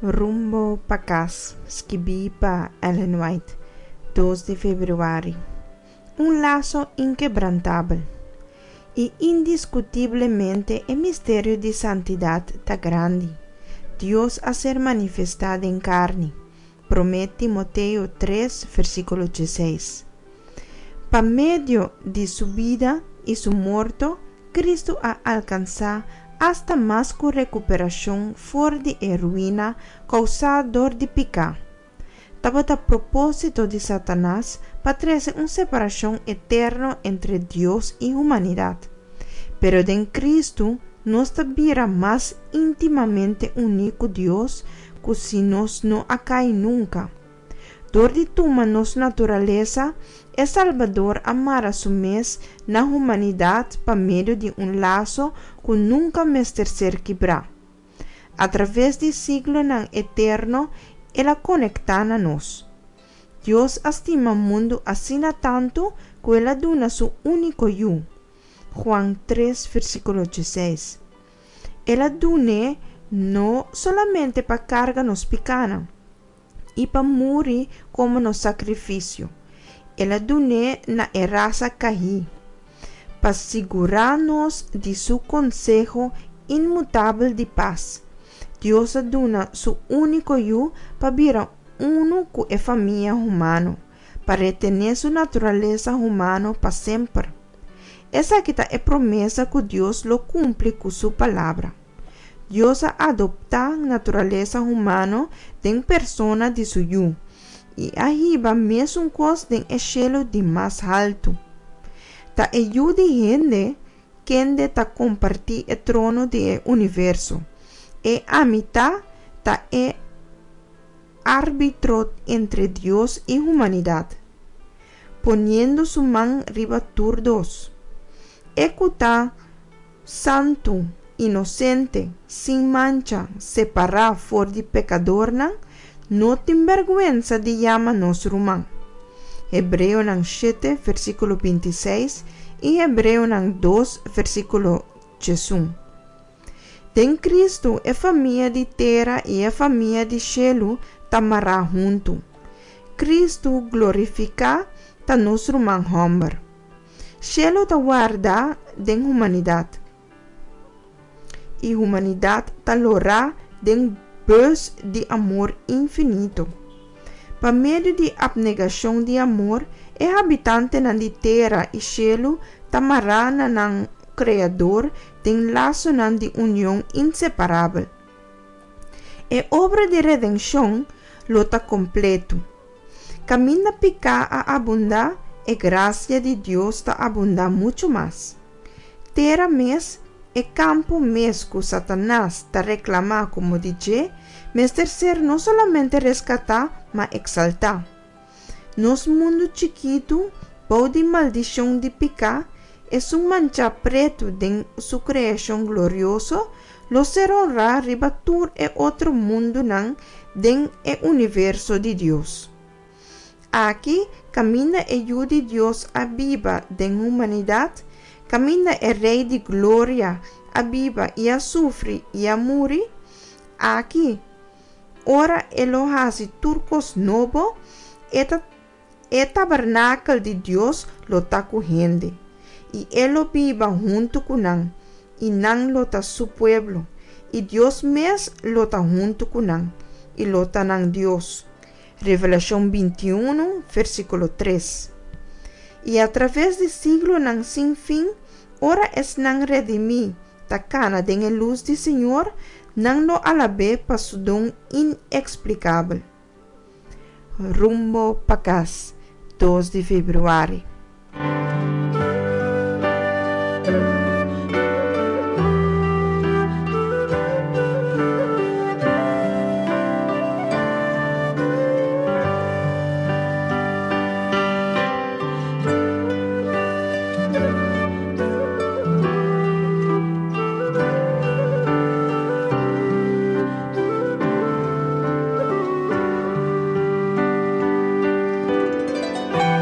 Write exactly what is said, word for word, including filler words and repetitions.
Rumbo pa Kas, skibí pa Ellen White, dos di febrüari. Un laso inkebrantabel. I indiskutiblemente e misterio di santidat ta grandi. Dios a ser manifestá den karni. Promé Timoteo tres, versíkulo diesseis. Pa medio di su bida i su morto, Kristu a alkansá asta mas ku rekuperashon for di e ruina kousá dor di piká. Tabata propósito di Satanas pa trese un separashon eterno entre Dios i humanidat. Pero den Kristu nos ta bira mas íntimamente uní ku Dios ku si nos no a kai nunka. Dor di tuma nos naturalesa, e Salbador a mara Su mes na humanidat pa medio di un laso ku nunka mester ser kibrá. Atraves di siglonan eterno El a konektá na nos. Dios a stima mundu asina tantu ku El a duna Su úniko Yu. Juan tres versíkulo diesseis. El a dun'é no solamente pa karga nos pikánan i pa muri komo nos sakrifisio, El a dun'é na e rasa kaí, pa sigurá nos di Su konseho inmutabel di pas. Dios a duna Su úniko Yu pa bira unu ku e famia humano, pa retené Su naturalesa humano pa semper. Esaki ta e promesa ku Dios lo kumpli ku Su Palabra. Dios a adoptá naturalesa humano den persona di Su Yu, i a hiba mesun kos den e shelu di mas haltu. Ta e Yu di hende kende ta kompartí e trono di e universo. E Ami Ta ta e árbitro entre Dios i humanidat, poniendo su man riba tur dos. E ku ta santu, inosente, sin mancha, separá for di pekadornan, no tin bèrgwensa di yama nos ruman. Hebreonan shete, versíkulo binti seis i Hebreonan dos, versíkulo diesun. Den Kristu e famia di tera i e famia di shelu ta mará huntu. Kristu glorifiká ta nos ruman hòmber. Shelu ta warda den humanidat, i humanidat ta lorá den bus di amor infinito. Pa medio di apnegashon di amor, e habitantenan di tera i shelu ta mará na nan Kreador den lasonan di union inseparabel. E obra di redenshon lo ta kompletu. Kaminda piká a abundá, e grasia di Dios ta abundá muchu mas. Tera mes, e kampo mes ku Satanas ta reklamá komo di dje, mester ser no solamente reskatá, ma eksaltá. Nos mundu chikitu, bou di maldishon di piká, esun manchá pretu den su kreashon glorioso, lo ser honrá riba tur e otro mundunan den e universo di Dios. Aki, kaminda e Yu di Dios a biba den humanidat, kaminda e Rei di Gloria a biba i a sufri i a muri, aki, ora E lo hasi tur kos nobo, e ta e tabernakel di Dios lo ta ku hende, i E lo biba huntu ku nan, i nan lo ta Su pueblo, i Dios mes lo ta huntu ku nan, i lo ta nan Dios. Revelashon binti unu, versíkulo tres. I atraves di siglonan sin fin, ora esnan redimí ta kana den e lus di Señor, nan lo alab'é pa su don ineksplikabel. Rumbo pa kas, dos di febrüari.